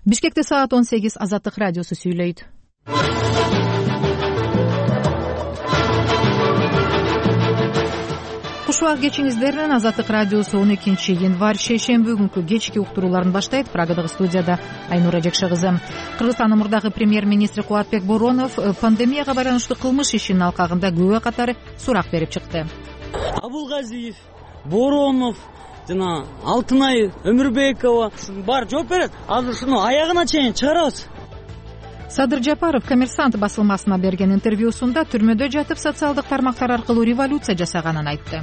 Бишкекте саат 18 Азаттык радиосу сүйлөйт. Куш убак кечиңиздер. Азаттык радиосу 12 январь шейшемби күнкү кечки уктурууларын баштайт. Праgadагы студияда Айнура Жекше кызы. Кыргызстандын мурдагы премьер-министри Кубатбек Боронов пандемияга байланыштуу кылмыш ишинин алкагында күбө катары сурак берип чыкты. Абулгазиев, Боронов, жана Алтынай Өмүрбекова бар жооп берет. Азыр ушуну аягына чейин чыгарабыз. Садыр Жапаров Коммерсант басылмасына берген интервьюсунда түрмөдө жатып социалдык тармактар аркылуу революция жасаганын айтты.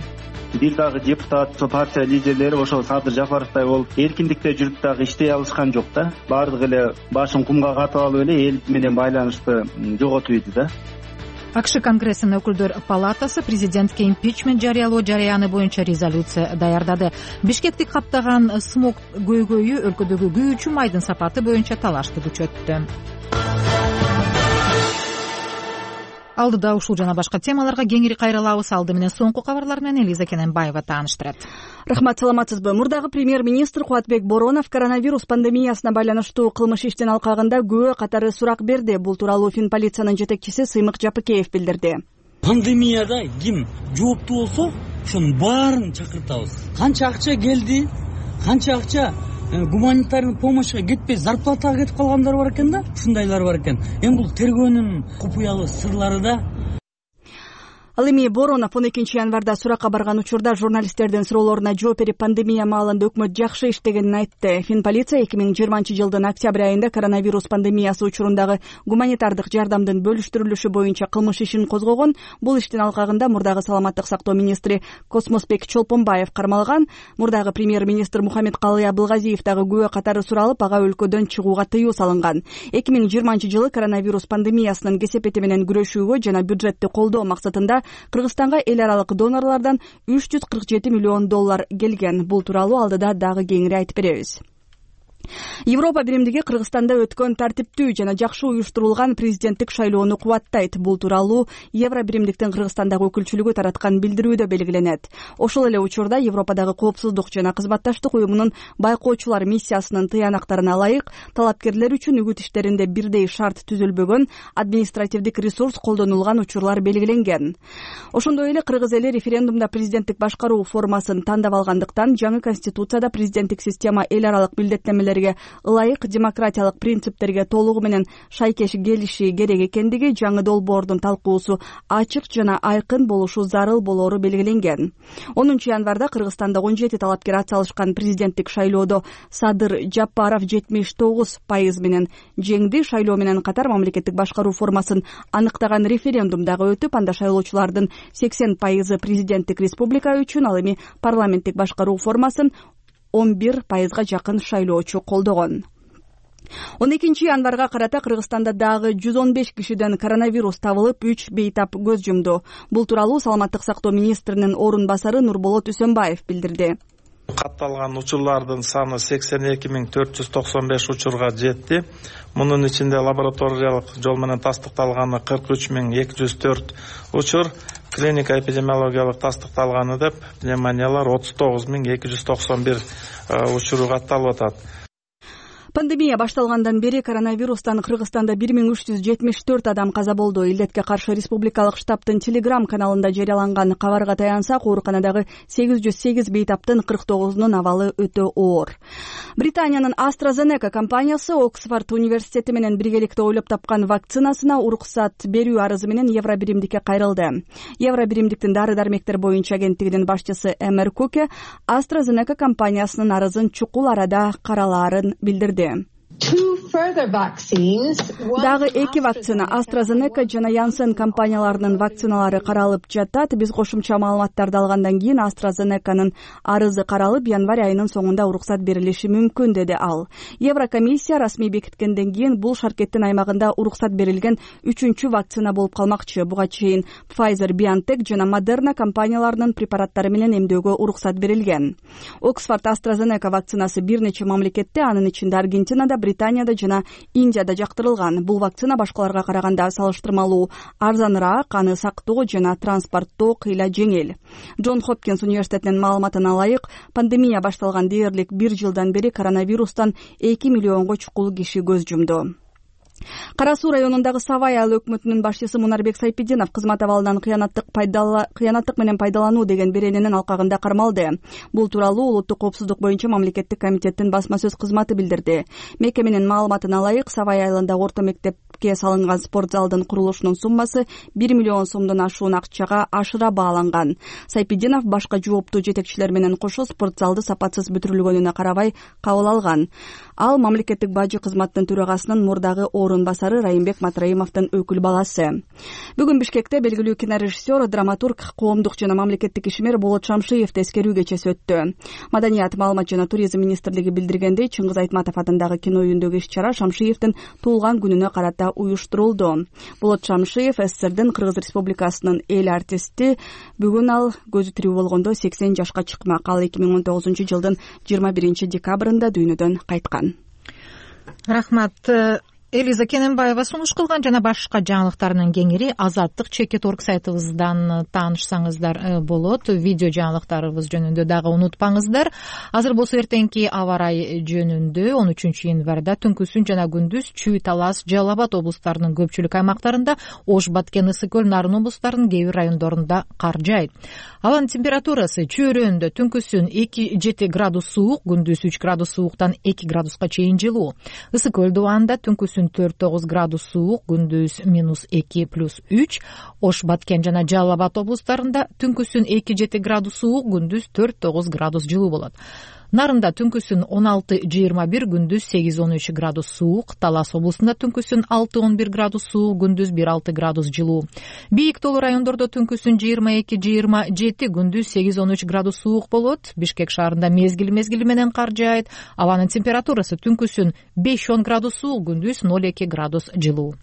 Бир дагы депутат, партия лидерлери ошол Садыр Жапаровдай болуп эркиндикте жүрүп дагы иштей алышкан жок да. Баардыгы эле башын кумга катып алып эле эл менен байланышты жоготуп ийди да. АКШ Конгрессинин өкүлдөр палатасы президентке импичмент жарыялоо жарыяны боюнча резолюция даярдады. Бишкекти каптаган смог көйгөйү өлкөдөгү күйүүчү майдын сапаты боюнча талашты күчөттү. Алдыда ушул жана башка темаларга кеңири кайрылабыз. Алды менен соңку кабарлар менен Элиза Кененбаева тааныштырат. Рахмат, саламатсызбы? Мурдагы премьер-министр Кубатбек Боронов коронавирус пандемиясына байланыштуу кылмыш иштин алкагында күбө катары сурак берди. Бул тууралуу Финполициянын жетекчиси Сыймык Жапыкеев билдирди. Пандемияда ким жооптуу болсо, ошонун баарын чакыртабыз. Канча акча келди, канча акча гуманитарный помощьга кетпей зарплатага кетип калгандар бар экен да, ушундайлар бар экен. Эми бул тергөөнүн купуялуу сырлары да. Ал эми Боронов 12 январда суракка барган учурда журналисттердин суроолоруна жооп берип, пандемия маалында өкмөт жакшы иштегенин айтты. Финполиция 2020-жылдын октябрь айында коронавирус пандемиясы учурундагы гуманитардык жардамдын бөлүштүрүлүшү боюнча кылмыш ишин козгогон. Бул иштин алкагында мурдагы саламаттык сактоо министри Космосбек Чолпонбаев кармалган. Мурдагы премьер-министр Мухаммедкалый Абылгазиев дагы күбө катары суралып, ага өлкөдөн чыгууга тыюу салынган. 2020-жылы коронавирус пандемиясынын кесепети менен күрөшүүгө жана бюджетти колдоо максатында Кыргызстанга эл аралык донорлордон $347 миллион келген. Бул тууралуу алдыда дагы кеңири айтып беребиз. Европа биримдиги Кыргызстанда өткөн тартиптүү жана жакшы уюштурулган президенттик шайлоону кубаттайт. Бул тууралуу Евро биримдиктин Кыргызстандагы өкүлчүлүгү тараткан билдирүүдө белгиленет. Ошол эле учурда Европадагы коопсуздук жана кызматташтык уюмунун байкоочулар миссиясынын тыянактарына ылайык талапкерлер үчүн үгүт иштеринде бирдей шарт түзүлбөгөн, административдик ресурс колдонулган учурлар белгиленген. Ошондой эле кыргыз эли референдумда президенттик башкаруу формасын тандап алгандыктан жаңы конституцияда президенттик система эл аралык билдеттемелерге ылайык демократиялык принциптерге толугу менен шайкеш келиши керек экендиги, жаңы долбоордун талкуусу ачык жана айкын болушу зарыл болоору белгиленген. 10 январда Кыргызстанда 17 талапкер атсалышкан президенттик шайлоодо Садыр Жапаров 79% менен жеңди. Шайлоо менен катар мамлекеттик башкаруу формасын аныктаган референдум дагы өтүп, анда шайлоочулардын 80% президенттик республика үчүн, ал эми парламенттик башкаруу формасын 11%га жакын шайлоочу колдогон. 12 январга карата Кыргызстанда дагы 115 кишиден коронавирус табылып, 3 бейтап көз жумду. Бул тууралуу саламаттык сактоо министринин орун басары Нурболот Үсөнбаев билдирди. Катталган учурлардын саны 82.495 учурга жетти. Мунун ичинде лабораториялык жол менен тастыкталганы 43.204 учур, клиника эпидемиологиялык тастыкталганы деп пневмониялар 39.291 учуру катталып атат. Пандемия башталгандан бери коронавирустан Кыргызстанда 1374 адам каза болду. Илдетке каршы республикалык штабтын Telegram каналында жарыяланган кабарга таянсак, ооруканадагы 808 бейтаптын 49-нун абалы өтө оор. Британиянын AstraZeneca компаниясы Оксфорд университети менен биргеликте ойлоп тапкан вакцинасына уруксат берүү арызы менен Евро биримдикке кайрылды. Евро биримдиктин дары-дармектер боюнча агенттигинин башчысы Эмер Куке AstraZeneca компаниясынын арызын чукул арада каралаарын билдирди. Дагы 2 вакцина AstraZeneca жана Janssen компанияларынын вакциналары каралып жатат. Биз кошумча маалыматтарды алгандан кийин AstraZeneca'нын арызы каралып, январь айынын соңунда уруксат берилиши мүмкүн, деди ал. Еврокомиссия расмий бекиткенден кийин бул шаркеттин аймагында уруксат берилген 3-чү вакцина болуп калмакчы. Буга чейин Pfizer, BioNTech жана Moderna компанияларынын препараттары менен эмдөөгө уруксат берилген. Оксфорд AstraZeneca вакцинасы бир нече мамлекетте, анын ичинде Аргентинада, Британияда жана Индияда жактырылган. Бул вакцина башкаларга караганда салыштырмалуу арзаныраак, аны сактоо жана транспорттоо кыйла жеңил. Джон Хопкинс университетинин маалыматына ылайык, пандемия башталган дээрлик 1 жылдан бери коронавирустан 2 миллионго чукул киши көз жумду. Кара Суу районундагы Савай айыл өкмөтүнүн башчысы Мунарбек Сайпидинов кызмат абалынан кыянаттык менен пайдалануу деген берененин алкагында кармалды. Бул тууралуу Улуттук коопсуздук боюнча мамлекеттик комитеттин басма сөз кызматы билдирди. Мекеменин маалыматына ылайык, Савай айылындагы орто мектепке салынган спорт залдын курулушунун суммасы 1 миллион сомдон ашуун акчага ашыра бааланган. Сайпидинов башка жооптуу жетекчилер менен кошо спорт залды сапатсыз бүтүрүлгөнүнө карабай кабыл алган. Ал мамлекеттик бажы кызматтын төрагасынын мурдагы орун басары Райымбек Матраимовдун өкүл баласы. Бүгүн Бишкекте белгилүү кинорежиссер, драматург, коомдук жана мамлекеттик ишмер Болот Шамшиев эскерүү кечеси өттү. Маданият, маалымат жана туризм министрлиги билдиргендей, Чыңгыз Айтматов атындагы кино үйүндөгү иш-чара Шамшиевдин туулган күнүнө карата уюштурулду. Болот Шамшиев СССРдин Кыргыз Республикасынын эл артисти. Бүгүн ал көзү тирүү болгондо 80 жашка чыкмак. Ал 2019 жылдын 21 декабрында дүйнөдөн кайткан. Рахмат. Элиза Кененбаева сунуш кылган жана башка жаңылыктардын кеңири Азаттык чекит.орг сайтыбыздан таанышсаңыздар болот. Видео жаңылыктарыбыз жөнүндө дагы унутпаңыздар. Азыр болсо эртеңки аба ырайы жөнүндө 13 январда түнкүсүн жана күндүз Чүй, Талас, Жалал Абад облустарынын көпчүлүк аймактарында, Ош, Баткен, Ысык көл, Нарын облустарынын кээ бир райондорунда кар жаайт. Абанын температурасы чөйрөндө түнкүсүн 2-7 градус суук, күндүз 3 градус сууктан 2 градуска чейин жылуу. Ысык көл дубанда түнкүсүн 4-9 градус суук, күндүз -2+3. Ош, Баткен жана Жалал Абад облустарында түнкүсүн 2-7 градус суук, күндүз 4-9 градус жылуу болот. Нарында түнкүсүн 16-21, күндүз 8-13 градус суук. Талас облусунда түнкүсүн 6-11 градус суук, күндүз 1-6 градус жылуу. Бийик тоолуу райондордо түнкүсүн 22-27, күндүз 8-13 градус суук болот. Бишкек шаарында мезгил менен кар жаайт. Абанын температурасы түнкүсүн 5-10 градус суук, күндүз 0-2 градус жылуу.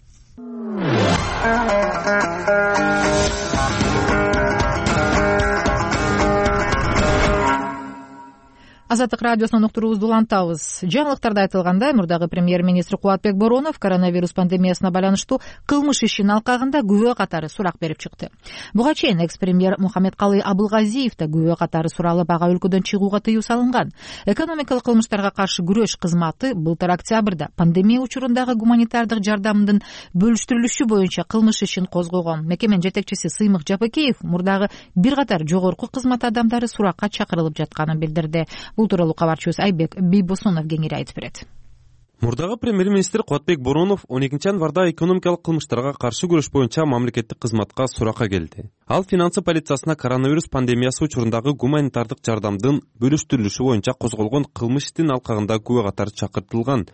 Азаттык радиосунан уктуруубузду улантабыз. Жаңылыктарда айтылгандай, мурдагы премьер-министр Кубатбек Боронов коронавирус пандемиясына байланыштуу кылмыш ишинин алкагында күбө катары сурак берип чыкты. Буга чейин экс-премьер Мухаммедкалый Абылгазиев да күбө катары суралып, ага өлкөдөн чыгууга тыюу салынган. Экономикалык кылмыштарга каршы күрөш кызматы былтыр октябрда пандемия учурундагы гуманитардык жардамдын бөлүштүрүлүшү боюнча кылмыш ишин козгогон. Мекеменин жетекчиси Сыймык Жапыкеев мурдагы бир катар жогорку кызмат адамдары суракка чакырылып жатканын билдирди. Бул тууралуу кабарчыбыз Айбек Бийбосунов кеңири айтып берет. Мурдагы премьер-министр Кубатбек Боронов 12 январда экономикалык кылмыштарга каршы күрөш боюнча мамлекеттик кызматка суракка келди. Ал финансы полициясына коронавирус пандемиясы учурундагы гуманитардык жардамдын бөлүштүрүлүшү боюнча козголгон кылмыш иштин алкагында күбө катары чакыртылган.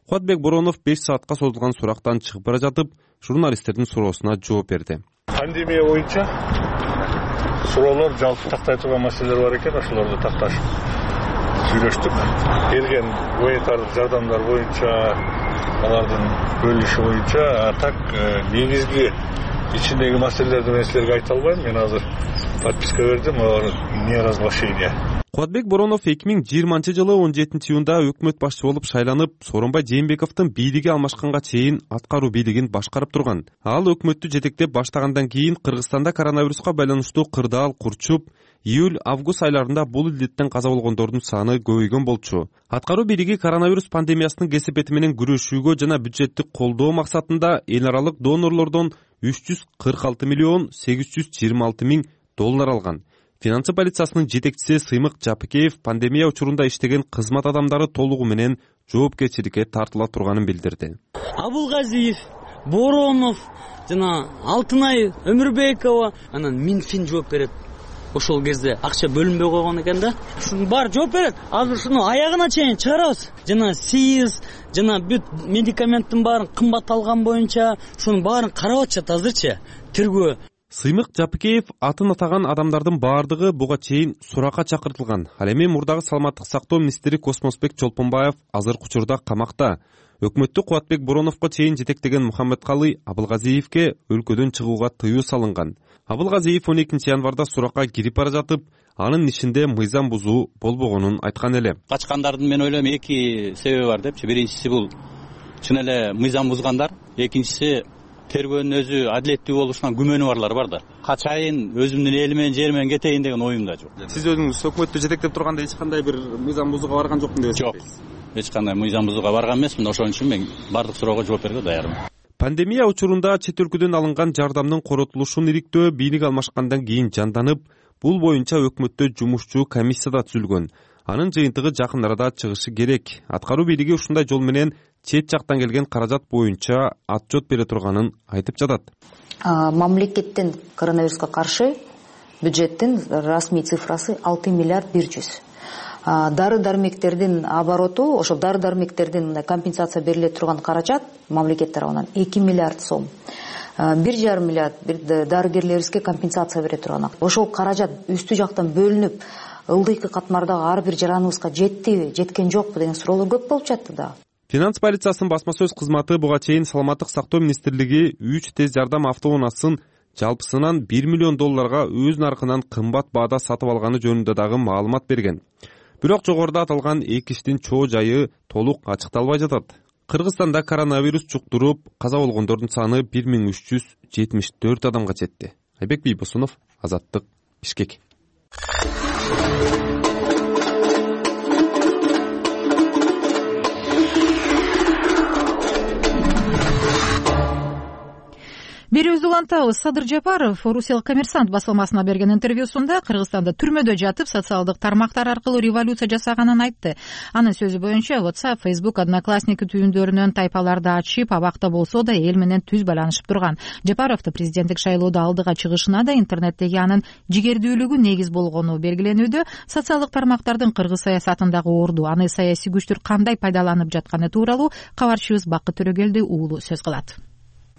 Кубатбек Боронов 5 саатка созулган сурактан чыгып бара жатып, журналисттердин суроосуна жооп берди. Пандемия боюнча суроолор жалпы тактай турган маселелер бар экен, ошолорду такташып сүйлөштүк. Келген гуманитардык жардамдар боюнча, алардын бөлүнүшү боюнча, так негизги ичиндеги маселелерди мен силерге айта албайм. Мен азыр подписка бердим, не разглашение. Кубатбек Боронов 2020 жылы 17 июнда өкмөт башчы болуп шайланып, Сооронбай Жээнбековдун бийлиги алмашканга чейин аткаруу бийлигин башкарып турган. Ал өкмөттү жетектеп баштагандан кийин Кыргызстанда коронавируска байланыштуу кырдаал курчуп, июль-август айларында бул илдеттен каза болгондордун саны көбөйгөн болчу. Аткаруу бийлиги коронавирус пандемиясынын кесепети менен күрөшүүгө жана бюджеттик колдоо максатында эл аралык донорлордон 346 миллион 826 миң доллар алган. Финансы полициясынын жетекчиси Сыймык Жапыкеев пандемия учурунда иштеген кызмат адамдары толугу менен жоопкерчиликке тартыла турганын билдирди. Абылгазиев, Боронов, жана Алтынай Өмүрбекова, анан Минфин жооп берет. Ошол кезде акча бөлүнбөй койгон экен да. Ушунун баары жооп берет. Азыр ушуну аягына чейин чыгарабыз. Жана СИЗ, жана бүт медикаменттин баарын кымбат алган боюнча ушунун баарын карап атышат азырчы. Тергөө. Сыймык Жапыкеев атын атаган адамдардын баардыгы буга чейин суракка чакыртылган. Ал эми мурдагы саламаттык сактоо министри Космосбек Чолпонбаев азыркы учурда камакта. Өкмөттү Кубатбек Бороновго чейин жетектеген Мухаммедкалый Абылгазиевке өлкөдөн чыгууга тыюу салынган. Абылгазиев 12 январда суракка кирип бара жатып, анын ишинде мыйзам бузуу болбогонун айткан эле. Качкандардын мен ойлойм эки себеби бар депчи. Биринчиси бул чын эле мыйзам бузгандар, экинчиси тергөөнүн өзү адилеттүү болушунан күмөнү барлар бар да. Качайын, өзүмдүн эли менен жери менен кетейин деген оюм да жок. Сиз өзүңүз өкмөттү жетектеп турганда эч кандай бир мыйзам бузууга барган жокмун деп эсептейсиз? Жок. Эч кандай мыйзам бузууга барган эмесмин. Ошон үчүн мен бардык суроого жооп берүүгө даярмын. Пандемия учурунда чет өлкөдөн алынган жардамдын коротулушун иликтөө бийлик алмашкандан кийин жанданып, бул боюнча өкмөттө жумушчу комиссия да түзүлгөн. Анын жыйынтыгы жакын арада чыгышы керек. Аткаруу бийлиги ушундай жол менен чет жактан келген каражат боюнча отчет бере турганын айтып жатат. Мамлекеттин коронавируска каршы бюджеттин расмий цифрасы 6 миллиард 100. Дары-дармектердин обороту, ошол дары-дармектердин компенсация бериле турган каражат мамлекет тарабынан 2 миллиард сом. 1,5 миллиард дарыгерлерибизге компенсация бере турган. Ошол каражат үстү жактан бөлүнүп, ылдыйкы катмардагы ар бир жараныбызга жеттиби, жеткен жокпу деген суроолор көп болуп жатты да. Финанс полициясынын басма сөз кызматы буга чейин саламаттык сактоо министрлиги 3 тез жардам автоунаасын жалпысынан $1 миллион өз наркынан кымбат баада сатып алганы жөнүндө дагы маалымат берген. Бирок жогоруда аталган эки иштин чоо жайы толук ачыкталбай жатат. Кыргызстанда коронавирус жуктуруп, каза болгондордун саны 1374 адамга жетти. Айбек Бийбосунов, Азаттык, Бишкек. Берүүбүздү улантабыз. Садыр Жапаров Орусиялык Коммерсант басылмасына берген интервьюсунда Кыргызстанда түрмөдө жатып социалдык тармактар аркылуу революция жасаганын айтты. Анын сөзү боюнча WhatsApp, Facebook, Одноклассники түйүндөрүнөн тайпаларды ачып, абакта болсо да эл менен түз байланышып турган. Жапаровду президенттик шайлоодо алдыга чыгышына да интернеттеги анын жигердүүлүгү негиз болгону белгиленүүдө. Социалдык тармактардын кыргыз саясатындагы орду, аны саясий күчтөр кандай пайдаланып жатканы тууралуу кабарчыбыз Бакыт Төрөгелди уулу сөз кылат.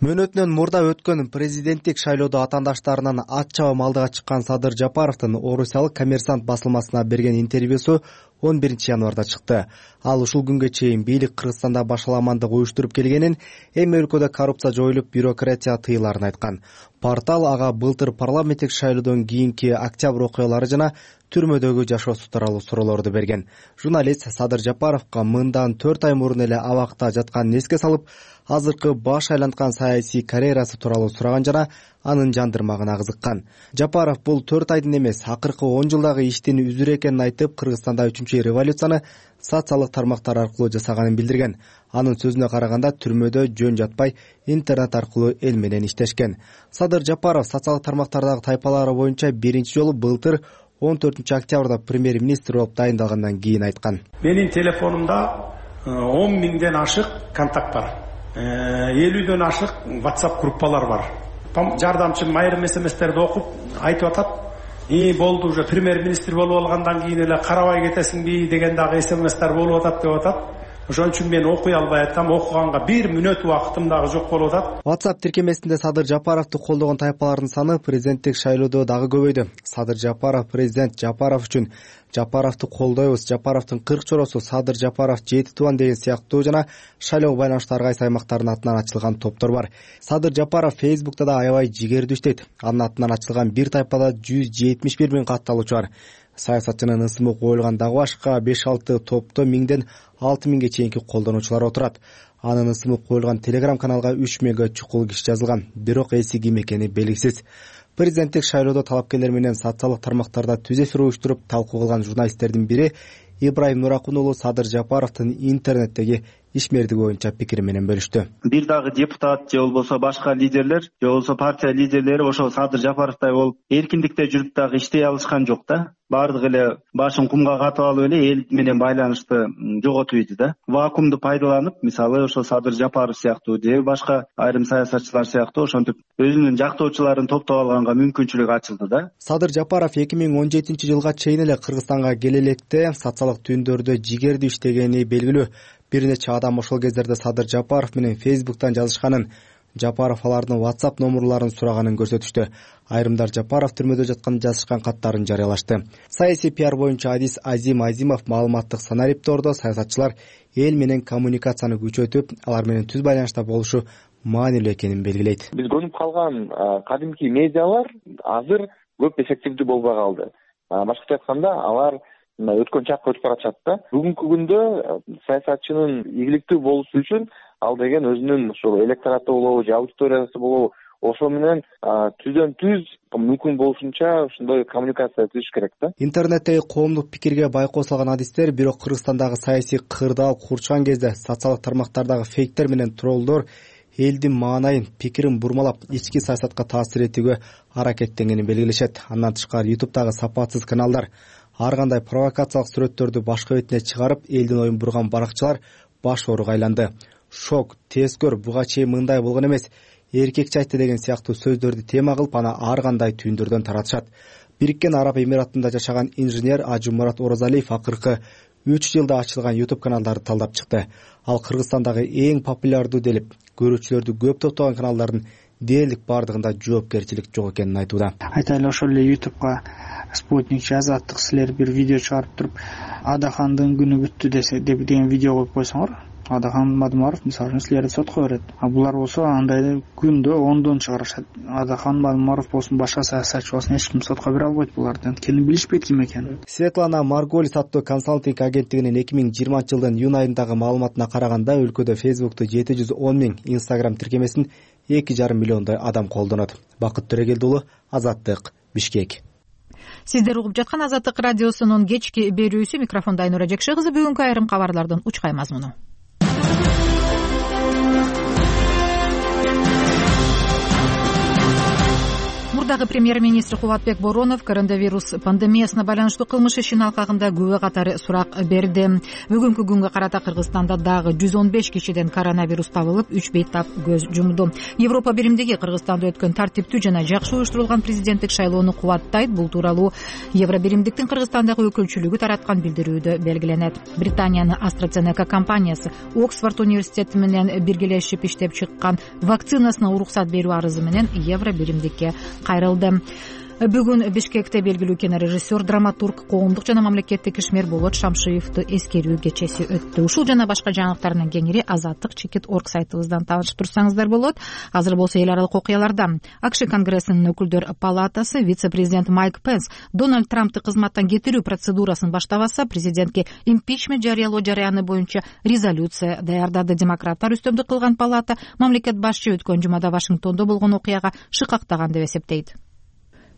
Мөөнөтүнөн мурда өткөн президенттик шайлоодо атаандаштарынан ат чабам алдыга чыккан Садыр Жапаровдун Орусиялык Коммерсант басылмасына берген интервьюсу 11 январда чыкты. Ал ушул күнгө чейин бийлик Кыргызстанда башаламандык уюштуруп келгенин, эми өлкөдө коррупция жоюлуп, бюрократия тыйыларын айткан. Портал ага былтыр парламенттик шайлоодон кийинки октябрь окуялары жана түрмөдөгү жашоосу тууралуу суроолорду берген. Журналист Садыр Жапаровго мындан 4 ай мурун эле абакта жатканын эске салып, азыркы баш айланткан саясий карьерасы тууралуу сураган жана анын жандырмагына кызыккан. Жапаров бул 4 айдын эмес, акыркы 10 жылдагы иштин үзүрү экенин айтып, Кыргызстанда 3-чү революцияны социалдык тармактар аркылуу жасаганын билдирген. Анын сөзүнө караганда түрмөдө жөн жатпай, интернет аркылуу эл менен иштешкен. Садыр Жапаров социалдык тармактардагы тайпалары боюнча биринчи жолу былтыр 14 октябрда премьер-министр болуп дайындалгандан кийин айткан. Менин телефонумда 10 миңден ашык контакт бар. 50дөн ашык WhatsApp группалар бар. Жардамчым айрым смстерди окуп айтып атат. Болду уже премьер-министр болуп алгандан кийин эле карабай кетесиңби деген дагы смстер болуп атат деп атат. Ошон үчүн мен окуй албай атам, окуганга 1 мүнөт убактым дагы жок болуп атат. WhatsApp тиркемесинде Садыр Жапаровду колдогон тайпалардын саны президенттик шайлоодо дагы көбөйдү. Садыр Жапаров президент Жапаров үчүн Жапаровду колдойбуз, Жапаровдун 40 чоросу Садыр Жапаров 7 тубан деген сыяктуу жана шайлоого байланыштуу ар кайсы аймактардын атынан ачылган топтор бар. Садыр Жапаров Facebook'та да аябай жигердүү иштейт. Анын атынан ачылган бир тайпада 171 миң катталуучу бар. Саясатчынын ысымы коюлган дагы башка 5-6 топто 1000ден 6000ге чейинки колдонуучулар отурат. Анын ысымы коюлган Telegram каналга 3 миңге чукул киши жазылган, бирок эси ким экени белгисиз. Президенттик шайлоодо талапкерлер менен социалдык тармактарда түз эфир уюштуруп талкуу кылган журналисттердин бири Ибрайым Нуракун уулу Садыр Жапаровдун интернеттеги ишмердиги боюнча пикири менен бөлүштү. Бир дагы депутат же болбосо башка лидерлер, же болбосо партия лидерлери ошол Садыр Жапаровдай болуп эркиндикте жүрүп дагы иштей алышкан жок да. Бардыгы эле башын кумга катып алып эле эл менен байланышты жоготуп ийди да. Вакуумду пайдаланып, мисалы ошол Садыр Жапаров сыяктуу же башка айрым саясатчылар сыяктуу ошентип өзүнүн жактоочуларын топтоп алганга мүмкүнчүлүк ачылды да. Садыр Жапаров 2017 жылга чейин эле Кыргызстанга келе электе социалдык түйүндөрдө жигердүү иштегени белгилүү. Бир нече адам ошол кездерде Садыр Жапаров менен Facebook'тан жазышканын, Жапаров алардын WhatsApp номерларын сураганын көрсөтүштү. Айрымдар Жапаров түрмөдө жатканын жазышкан каттарын жарыялашты. Саясий пиар боюнча адис Азим Азимов маалыматтык санариптоордо саясатчылар эл менен коммуникацияны күчөтүп, алар менен түз байланышта болушу маанилүү экенин белгилейт. Биз көнүп калган кадимки медиалар азыр көп эффективдүү болбой калды. Башкача айтканда, алар өткөн чакка өтүп баратышат да. Бүгүнкү күндө саясатчынын ийгиликтүү болушу үчүн ал деген өзүнүн ушул электораты болобу же аудиториясы болобу, ошо менен түздөн түз мүмкүн болушунча ошондой коммуникация түзүш керек да. Интернеттеги коомдук пикирге байкоо салган адистер бирок Кыргызстандагы саясий кырдаал курчкан кезде социалдык тармактардагы фейктер менен троллдор элдин маанайын, пикирин бурмалап, ички саясатка таасир этүүгө аракеттенгенин белгилешет. Андан тышкары YouTube'дагы сапатсыз каналдар, ар кандай провокациялык сүрөттөрдү башка бетине чыгарып, элдин оюн бурган баракчылар баш ооруга айланды. Шок, тез көр, буга чейин мындай болгон эмес, эркекчи айтты деген сыяктуу сөздөрдү тема кылып, аны ар кандай түйүндөрдөн таратышат. Бириккен Араб Эмиратында жашаган инженер Ажымурат Оразалиев акыркы 3 жылда ачылган YouTube каналдарды талдап чыкты. Ал Кыргызстандагы эң популярдуу делип, көрүүчүлөрдү көп топтогон каналдардын дээрлик бардыгында жоопкерчилик жок экенин айтууда. Айтайлы ошол эле YouTube'га Спутникчи Азаттык силер бир видео чыгарып туруп, Адахандын күнү бүттү деген видео коюп койсоңор, Адахан Мадумаров мисалы силерди сотко берет. Булар болсо андай күндө 10дон чыгарышат. Адахан Мадумаров болсун, башка саясатчы болсун, эч ким сотко бере албайт буларды. Анткени билишпейт ким экенин. Светлана Марголис аттуу консалтинг агенттигинин 2020 жылдын июнь айындагы маалыматына караганда, өлкөдө Facebook'ту 710 000, Instagram тиркемесин 2,5 миллиондой адам колдонот. Бакыт Төрөгелди уулу, Азаттык, Бишкек. Сиздер угуп жаткан Азаттык радиосунун кечки берүүсү. Микрофондо Айнура Жекше кызы. Бүгүнкү айрым кабарлардын учкай мазмуну. Мурдагы премьер-министр Кубатбек Боронов коронавирус пандемиясына байланыштуу кылмыш ишинин алкагында күбө катары сурак берди. Бүгүнкү күнгө карата Кыргызстанда дагы 115 кишиден коронавирус табылып, 3 бейтап көз жумду. Европа биримдиги Кыргызстанда өткөн тартиптүү жана жакшы уюштурулган президенттик шайлоону кубаттайт. Бул тууралуу Евро биримдиктин Кыргызстандагы өкүлчүлүгү тараткан билдирүүдө белгиленет. Британиянын AstraZeneca компаниясы Оксфорд университети менен биргелешип иштеп чыккан вакцинасына уруксат берүү арызы менен Евро биримдикке кайрылды. Бүгүн Бишкекте белгилүү кинорежиссер, драматург, коомдук жана мамлекеттик ишмер Болот Шамшиевди эскерүү кечеси өттү. Ушул жана башка жаңылыктардын кеңири Азаттык.org сайтыбыздан таанышып турсаңыздар болот. Азыр болсо эл аралык окуялардан. АКШ Конгрессинин өкүлдөр палатасы вице-президент Майк Пенс Дональд Трампты кызматтан кетирүү процедурасын баштабаса, президентке импичмент жарыялоо жараяны боюнча резолюция даярдады. Демократтар үстөмдүк кылган палата мамлекет башчы өткөн жумада Вашингтондо болгон окуяга шыкактаган деп эсептейт.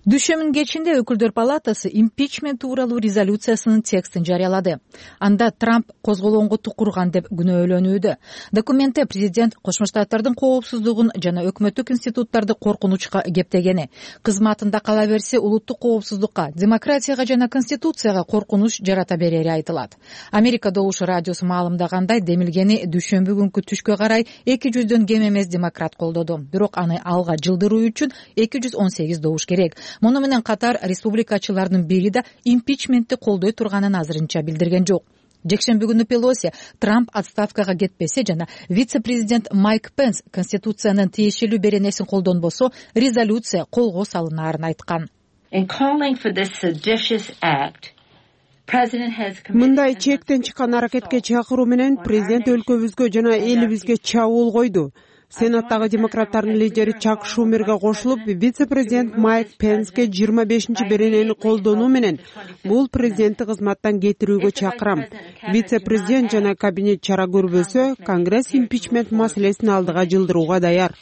Дүйшөмүн кечинде өкүлдөр палатасы импичмент тууралуу резолюциясынын текстин жарыялады. Анда Трамп козголоңго тукурган деп күнөөлөнүүдө. Документте президент Кошмо Штаттардын коопсуздугун жана өкмөттүк институттарды коркунучка кептегени, кызматында кала берсе улуттук коопсуздукка, демократияга жана конституцияга коркунуч жарата берери айтылат. Америка Добуш радиосу маалымдагандай, демилгени дүйшөмбү күнкү түшкө карай 200дөн кем эмес демократ колдоду. Бирок аны алга жылдыруу үчүн 218 добуш керек. Муну менен катар республикачылардын бири да импичментти колдой турганын азырынча билдирген жок. Жекшемби күнү Пелоси Трамп отставкага кетпесе жана вице-президент Майк Пенс конституциянын тиешелүү беренесин колдонбосо, резолюция колго салынаарын айткан. Мындай чектен чыккан аракетке чакыруу менен президент өлкөбүзгө жана элибизге чабуул койду. Сенаттагы демократтардын лидери Чак Шумерге кошулуп, вице-президент Майк Пенске 25-чи беренени колдонуу менен бул президентти кызматтан кетирүүгө чакырам. Вице-президент жана кабинет чара көрбөсө, Конгресс импичмент маселесин алдыга жылдырууга даяр.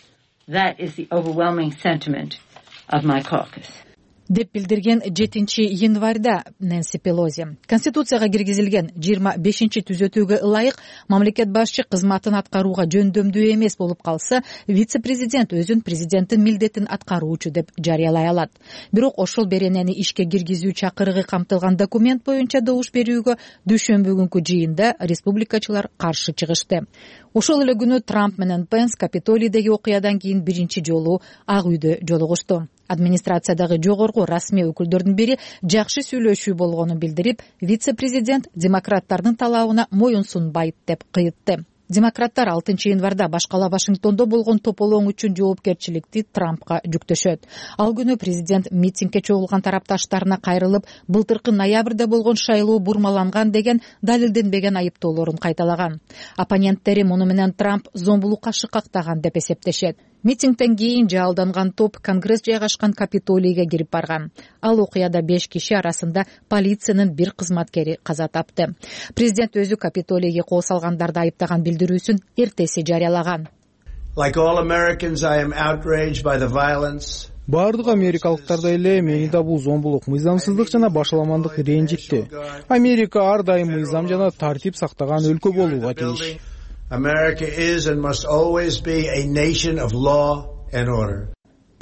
Деп билдирген 7-январда Нэнси Пелоси. Конституцияга киргизилген 25-түзөтүүгө ылайык мамлекет башчы кызматын аткарууга жөндөмдүү эмес болуп калса, вице-президент өзүн президенттин милдетин аткаруучу деп жарыялай алат. Бирок ошол беренени ишке киргизүү чакырыгы камтылган документ боюнча добуш берүүгө дүйшөмбү күнкү жыйында республикачылар каршы чыгышты. Ошол эле күнү Трамп менен Пенс Капитолийдеги окуядан кийин биринчи жолу Ак үйдө жолугушту. Администрациядагы жогорку расмий өкүлдөрдүн бири жакшы сүйлөшүү болгонун билдирип, вице-президент демократтардын талабына моюн сунбайт деп кыйтты. Демократтар 6-январда баш кала Вашингтондо болгон тополоң үчүн жоопкерчиликти Трампка жүктөшөт. Ал күнү президент митингге чогулган тарапташтарына кайрылып, былтыркы ноябрда болгон шайлоо бурмаланган деген далилденбеген айыптоолорун кайталаган. Оппоненттери муну менен Трамп зомбулукка шыкактаган деп эсептешет. Митингден кийин жалданган топ Конгресс жайгашкан Капитолийге кирип барган. Ал окуяда 5 киши арасында полициянын бир кызматкери каза тапты. Президент өзү Капитолийге кол салгандарды айыптаган билдирүүсүн эртеси жарыялаган. Бардык америкалыктардай эле мени да бул зомбулук, мыйзамсыздык жана башаламандык ренжитти. Америка ар дайым мыйзам жана тартип сактаган өлкө болууга тийиш. America is and must always be a nation of law and order.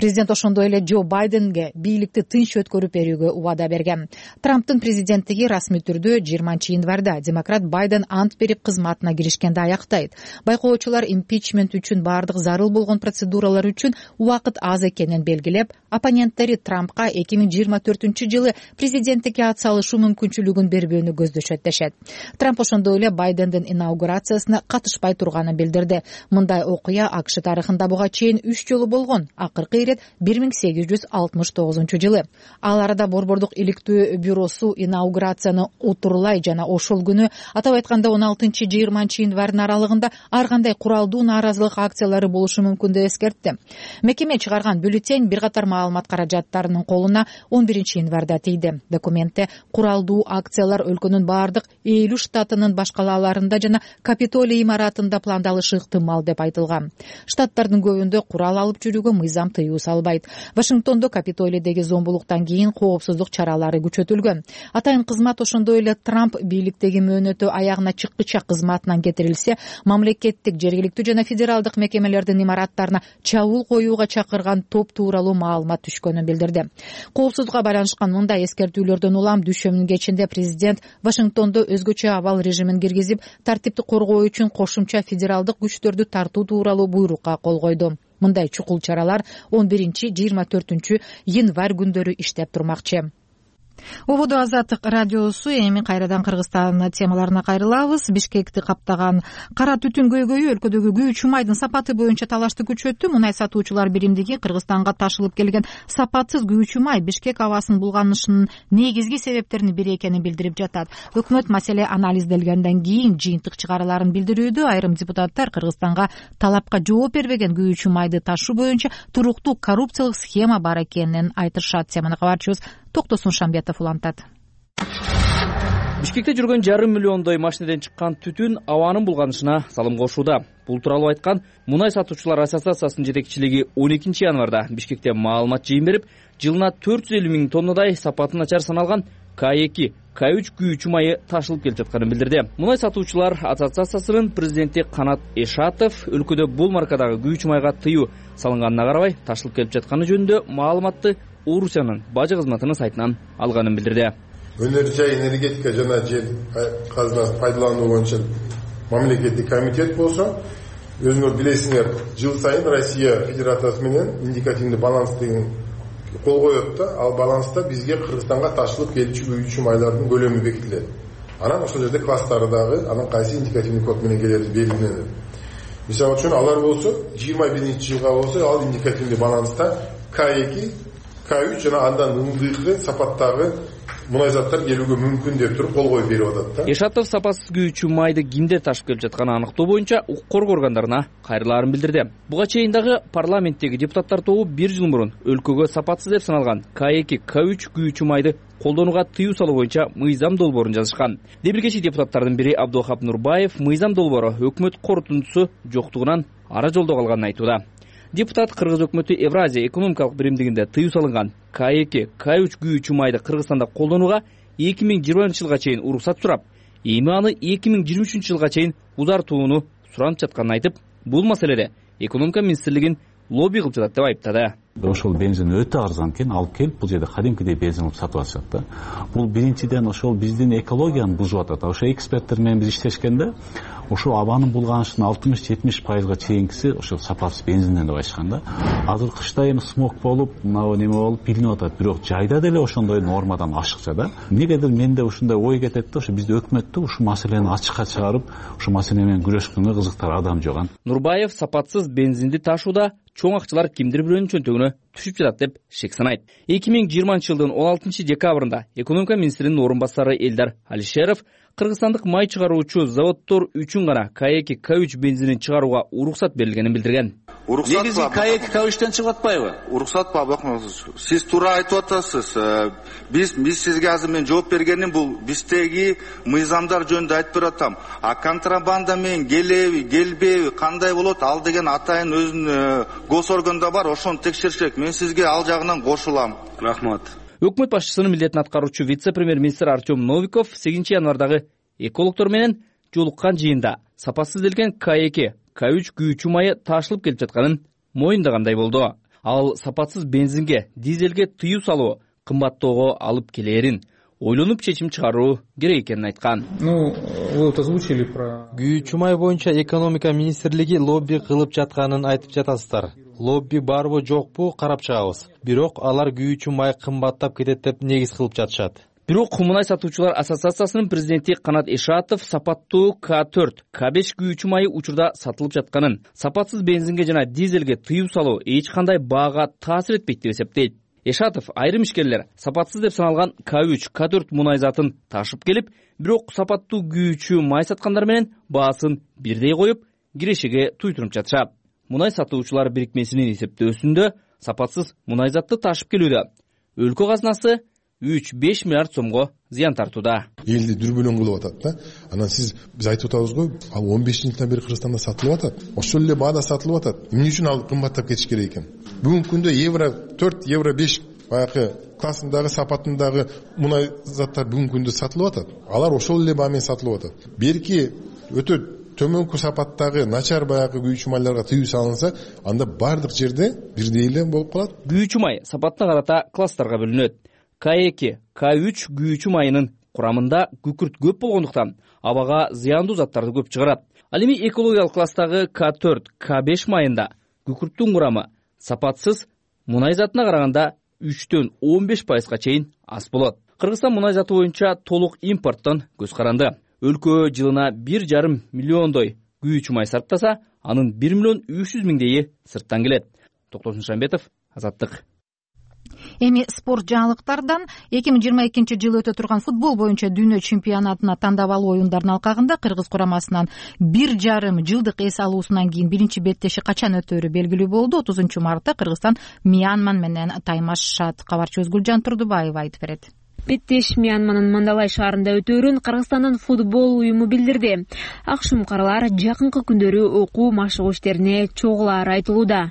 Президент ошондой эле Джо Байденге бийликти тынч өткөрүп берүүгө убада берген. Трамптын президенттиги расмий түрдө 20-январда демократ Байден ант берип кызматына киришкенде аяктайт. Байкоочулар импичмент үчүн бардык зарыл болгон процедуралар үчүн убакыт аз экенин белгилеп, оппоненттери Трампка 2024-жылы президенттикке ат салышы мүмкүнчүлүгүн бербөөнү көздөшөт дешет. Трамп ошондой эле Байдендин инаугурациясына катышпай турганын билдирди. Мындай окуя АКШ тарыхында буга чейин 3 жолу болгон. Акыркы 1869-жылы. Ал арада Борбордук иликтөө бюросу инаугурацияны утурлай жана ошол күнү, атап айтканда 16-20 январдын аралыгында ар кандай куралдуу нааразылык акциялары болушу мүмкүн деп эскертти. Мекеме чыгарган бюллетень бир катар маалымат каражаттарынын колуна 11-январда тийди. Документте куралдуу акциялар өлкөнүн бардык 50 штатынын баш калаларында жана Капитолий имаратында пландалышы ыктымал деп айтылган. Штаттардын көбүндө курал алып жүрүүгө мыйзам тыюу салбайт. Вашингтондо Капитолийдеги зомбулуктан кийин коопсуздук чаралары күчөтүлгөн. Атайын кызмат ошондой эле Трамп бийликтеги мөөнөтү аягына чыккыча кызматынан кетирилсе, мамлекеттик, жергиликтүү жана федералдык мекемелердин имараттарына чабуул коюуга чакырган топ тууралуу маалымат түшкөнүн билдирди. Коопсуздукка байланышкан мындай эскертүүлөрдөн улам дүйшөмүнүн кечинде президент Вашингтондо өзгөчө абал режимин киргизип, тартипти коргоо үчүн кошумча федералдык күчтөрдү тартуу тууралуу буйрукка кол койду. Мындай чукул чаралар 11-24 январь күндөрү иштеп турмакчы. Ободо Азаттык радиосу эми кайрадан Кыргызстан темаларына кайрылабыз. Бишкекти каптаган кара түтүн көйгөйү өлкөдөгү күйүүчү майдын сапаты боюнча талашты күчөттү. Мунай сатуучулар биримдиги Кыргызстанга ташылып келген сапатсыз күйүүчү май Бишкек абасын булганышынын негизги себептеринин бири экенин билдирип жатат. Өкмөт маселе анализделгенден кийин жыйынтык чыгараларын билдирүүдө айрым депутаттар Кыргызстанга талапка жооп бербеген күйүүчү майды ташуу боюнча туруктуу коррупциялык схема бар экенин айтышат. Теманы кабарчыбыз Токтосун Шамбетов улантат. Бишкекте жүргөн 1,5 миллиондой машинеден чыккан түтүн абанын булганышына салым кошууда. Бул тууралуу айткан Мунай сатуучулар ассоциациясынын жетекчилиги 12 январда Бишкекте маалымат жыйын берип, жылына 450 000 тоннадай сапаты начар саналган К2, К3 күйүүчү майы ташылып келип жатканын билдирди. Мунай сатуучулар ассоциациясынын президенти Канат Эшатов өлкөдө бул маркадагы күйүүчү майга тыюу салынганына карабай ташылып келип жатканы жөнүндө маалыматты Орусиянын бажы кызматынын сайтынан алганын билдирди. Өнөр жай энергетика жана жер казынасын пайдалануу боюнча мамлекеттик комитет болсо, өзүңөр билесиңер, жыл сайын Россия Федерациясы менен индикативдүү баланс деген кол коет да, ал баланста бизге Кыргызстанга ташылып келүүчү күйүүчү майлардын көлөмү бекитилет. Анан ошол жерде класстары дагы анан кайсы индикативдүү код менен келери белгиленет. Мисалы үчүн алар болсо 21-жылга болсо ал индикативдүү баланста К2, К3 жана андан ылдыйкы сапаттагы мунай заттар келүүгө мүмкүн деп туруп кол коюп берип атат да. Эшатов сапасыз күйүүчү майды кимдер ташып келип жатканын аныктоо боюнча укук коргоо органдарына кайрылаарын билдирди. Буга чейин дагы парламенттеги депутаттар тобу 1 жыл мурун өлкөгө сапатсыз деп саналган К2, К3 күйүүчү майды колдонууга тыюу салуу боюнча мыйзам долбоорун жазышкан. Дебилгечи депутаттардын бири Абдухап Нурбаев мыйзам долбоору өкмөт корутундусу жоктугунан ара жолдо калганын айтууда. Депутат Кыргыз өкмөтү Евразия экономикалык биримдигинде тыюу салынган К2, К3 күйүүчү майды Кыргызстанда колдонууга 2020-жылга чейин уруксат сурап, эми аны 2023-жылга чейин узартууну суранып жатканын айтып, бул маселеде экономика министрлигин лобби кылып жатат деп айыптады. Ошол бензин өтө арзан экен, алып келип бул жерде кадимкидей бензин кылып сатып атышат да. Бул биринчиден ошол биздин экологияны бузуп атат. Ошо эксперттер менен биз иштешкенде ошо абанын булганышынын 60-70%га чейинкиси ошо сапасыз бензинден деп айтышкан да. Азыр кышта эми смог болуп, мына неме болуп билинип атат, бирок жайда деле ошондой нормадан ашыкча да. Негедир менде ушундай ой кетет да, ошо бизде өкмөттө ушул маселени ачыкка чыгарып, ушул маселе менен күрөшкөнгө кызыктар адам жок. Нурбаев сапатсыз бензинди ташууда чоң акчалар кимдир бирөөнүн чөнтөгүнө түшүп жатат деп шек санайт. 2020-жылдын 16 декабрында экономика министринин орун басары Элдар Алишеров кыргызстандык май чыгаруучу заводдор үчүн гана КАЭК К3 бензинин чыгарууга уруксат берилгенин билдирген. Негизи КАЭК К3тен чыгып атпайбы? Уруксат ба бакмаңыз. Сиз туура айтып атасыз. Биз сизге азыр мен жооп бергеним бул биздеги мыйзамдар жөнүндө айтып бератам. А контрабанда менен келбеби кандай болот ал деген атайын өзүнүн госорганда бар, ошону текшериш керек. Мен сизге ал жагынан кошулам. Рахмат. Өкмөт башчысынын милдетин аткаруучу вице-премьер-министр Артем Новиков 8 январдагы экологдор менен жолуккан жыйында сапасыз делген КАЭК К3 күйүүчү майы ташылып келип жатканын моюндагандай болду. Ал сапатсыз бензинге, дизелге тыюу салуу кымбаттоого алып келээрин ойлонуп чечим чыгаруу керек экенин айткан. Вы вот озвучили про күйүүчү май боюнча экономика министрлиги лобби кылып жатканын айтып жатасыздар. Лобби барбы жокпу карап чыгабыз. Бирок алар күйүүчү май кымбаттап кетет деп негиз кылып жатышат. Бирок мунай сатуучулар ассоциациясынын президенти Канат Эшатов сапаттуу К4, К5 күйүүчү майы учурда сатылып жатканын, сапатсыз бензинге жана дизелге тыюу салуу эч кандай баага таасир этпейт деп эсептейт. Эшатов айрым ишкерлер сапатсыз деп саналган К3, К4 мунай затын ташып келип, бирок сапаттуу күйүүчү май саткандар менен баасын бирдей коюп, кирешеге туйтуруп жатышат. Мунай сатуучулар бирикмесинин эсептөөсүндө сапатсыз мунай затты ташып келүүдө өлкө казынасы 3-5 миллиард сомго зыян тартууда. Элди дүрбөлөң кылып атат да. Анан биз айтып атабыз го, ал 15-жылдан бери Кыргызстанда сатылып атат. Ошол эле баада сатылып атат. Эмне үчүн ал кымбаттап кетиш керек экен? Бүгүнкү күндө евро 4, евро 5 баягы классындагы сапатындагы мунай заттар бүгүнкү күндө сатылып атат. Алар ошол эле баа менен сатылып атат. Берки өтө төмөнкү сапаттагы начар баягы күйүүчү майларга тыюу салынса, анда бардык жерде бирдей эле болуп калат. Күйүүчү май сапатына карата класстарга бөлүнөт. КАЭК К3 күйүүчү майынын курамында күкүрт көп болгондуктан абага зыяндуу заттарды көп чыгарат. Ал эми экологиялык класстагы К4, К5 майында күкүрттүн курамы сапатсыз мунай затына караганда 3-төн 15%га чейин аз болот. Кыргызстан мунай заты боюнча толук импорттон көз каранды. Өлкө жылына 1,5 миллиондой күйүүчү май сарптаса, анын 1 миллион 300 миңдейи сырттан келет. Токтосун Шамбетов, Азаттык. Эми спорт жаңылыктардан 2022 жылы өтө турган футбол боюнча дүйнө чемпионатына тандабалуу оюндардын алкагында Кыргыз курамасынан 1,5 жылдык эс алуусунан кийин биринчи беттеши качан өтөөрү белгилүү болду. 30 мартта Кыргызстан Мьянма менен таймашат. Кабарчыбыз Гүлжан Турдубаева айтып берет. Беттеш Мьянманын Мандалай шаарында өтөөрүн Кыргызстандын футбол уюму билдирди. Акшумкарлар жакынкы күндөрү окуу машыгуу иштерине чогулаары айтылууда.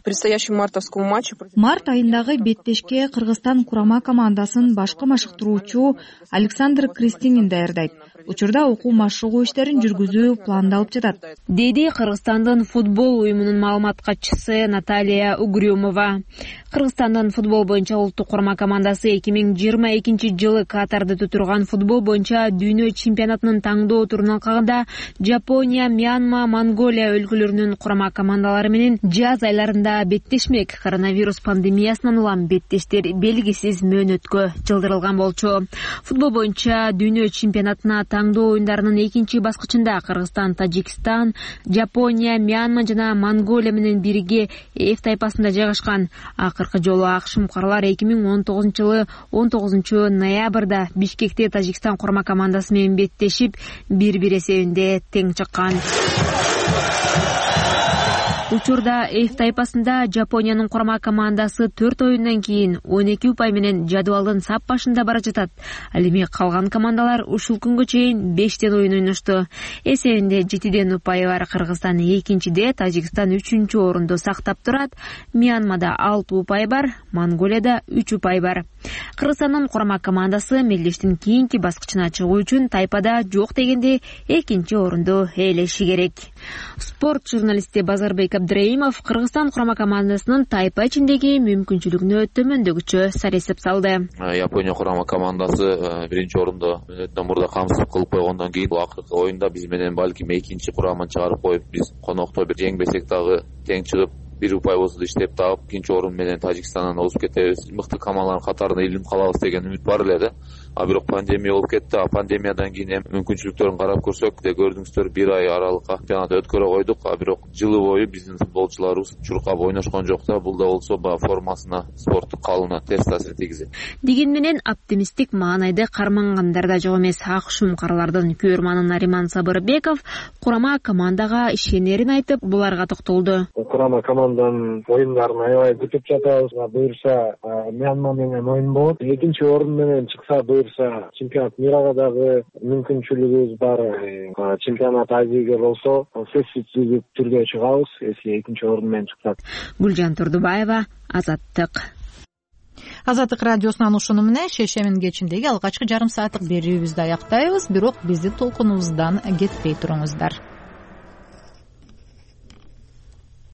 Март айындагы беттешке Кыргызстан курама командасын башкы машыктыруучу Александр Кристинин даярдайт. Учурда окуу машыгуу иштерин жүргүзүү пландалып жатат, деди Кыргызстандын футбол уюмунун маалымат катчысы Наталья Угрюмова. Кыргызстандын футбол боюнча улуттук курама командасы 2022 жылы Катарда өтө футбол боюнча дүйнө чемпионатынын таңдоо турунун алкагында Жапония, Мьянма, Монголия өлкөлөрүнүн курама командалары менен жаз айларында беттешмек. Коронавирус пандемиясынан улам беттештер белгисиз мөөнөткө жылдырылган болчу. Футбол боюнча дүйнө чемпионатына таңдоо оюндарынын экинчи баскычында Кыргызстан, Тажикстан, Жапония, Мьянма жана Монголия менен бирге F тайпасында жайгашкан. Акыркы жолу акшумкарлар 2019 жылы 19 ноябрда Бишкекте Тажикстан курама командасы менен беттешип, 1-1 эсебинде тең чыккан. Учурда F тайпасында Жапониянын курама командасы 4 оюндан кийин 12 упай менен жадыбалдын сап башында бара жатат. Ал эми калган командалар ушул күнгө чейин 5 оюн ойношту. Эсебинде 7 упайы бар Кыргызстан 2-де, Тажикстан 3-орунду сактап турат. Мьянмада 6 упай бар, Монголияда 3 упай бар. Кыргызстандын курама командасы мелдештин кийинки баскычына чыгуу үчүн тайпада жок дегенде экинчи орунду ээлеши керек. Спорт журналисти Базарбек Абдраимов Кыргызстан курама командасынын тайпа ичиндеги мүмкүнчүлүгүнө төмөндөгүчө сарессеп салды. Япония курама командасы биринчи орунду мурда камсыз кылып койгондон кийин акыркы оюнда биз менен балким экинчи курамын чыгарып коюп, биз конокто бир жеңбесек дагы тең чыгып, бир упайбызды иштеп таап, экинчи орун менен Тажикстандан озуп кетебиз. Мыкты командалардын катарына илинип калабыз деген үмүт бар эле да. Бирок пандемия болуп кетти. Пандемиядан кийин эми мүмкүнчүлүктөрүн карап көрсөк, көрдүңүздөр, бир ай аралыкка чемпионат өткөрө койдук. Бирок жылы бою биздин футболчуларыбыз чуркап ойношкон жок да. Бул да болсо формасына, спорттук калыбына терс таасир тийгизет. Деген менен оптимисттик маанайды кармангандар да жок эмес. Ак шумкарлардын күйөрманы Нариман Сабырбеков курама командага ишенерин айтып, буларга токтолду. Курама команданын оюндарын аябай күтүп жатабыз. Буюрса Мьянма менен оюн болот. Экинчи орун менен чыкса, буюрса чемпионат мирага дагы мүмкүнчүлүгүбүз бар. Чемпионат Азияга болсо сөзсүз түрдө чыгабыз, если экинчи орун менен чыксак. Гүлжан Турдубаева, Азаттык. Азаттык радиосунан ушуну менен шешемин кечиндеги алгачкы жарым сааттык берүүбүздү аяктайбыз. Бирок биздин толкунубуздан кетпей туруңуздар.